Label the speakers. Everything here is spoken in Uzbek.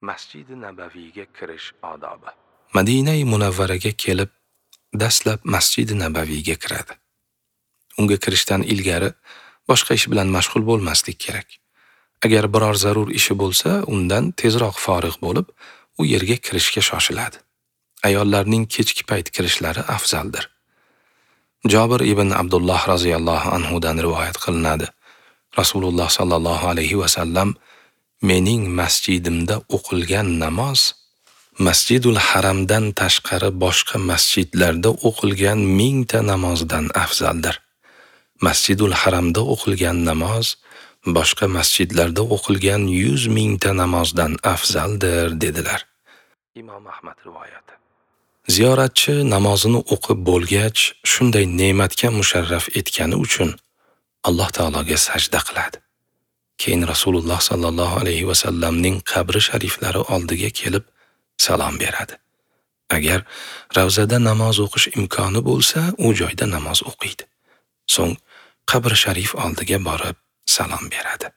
Speaker 1: Masjidi Nabaviyga kirish odobi. Madinai Munavvaraga kelib, dastlab Masjidi Nabaviyga kiradi. Unga kirishdan ilgari boshqa ish bilan mashg'ul bo'lmaslik kerak. Agar biror zarur ishi bo'lsa, undan tezroq forig' bo'lib, u yerga kirishga shoshiladi. Ayollarning kechki payt kirishlari afzaldir. Jobir ibn Abdulloh roziyallohu anhu dan rivoyat qilinadi. Rasululloh sallallohu alayhi va sallam mening masjidimda o'qilgan namoz Masjidul Haramdan tashqari boshqa masjidlarda o'qilgan 1000 ta namozdan afzaldir. Masjidul Haramda o'qilgan namoz boshqa masjidlarda o'qilgan 100 mingta namozdan afzaldir dedilar. Imom Ahmad rivoyati. Ziyoratchi namozini o'qib bo'lgach, shunday ne'matga musharraf etgani uchun Alloh taologa sajda qiladi. Keyin Rasululloh sallallohu alayhi va sallamning qabri shariflari oldiga kelib salom beradi. Agar ravzada namoz o'qish imkoni bo'lsa, u joyda namoz o'qiydi. So'ng qabri sharif oldiga borib salom beradi.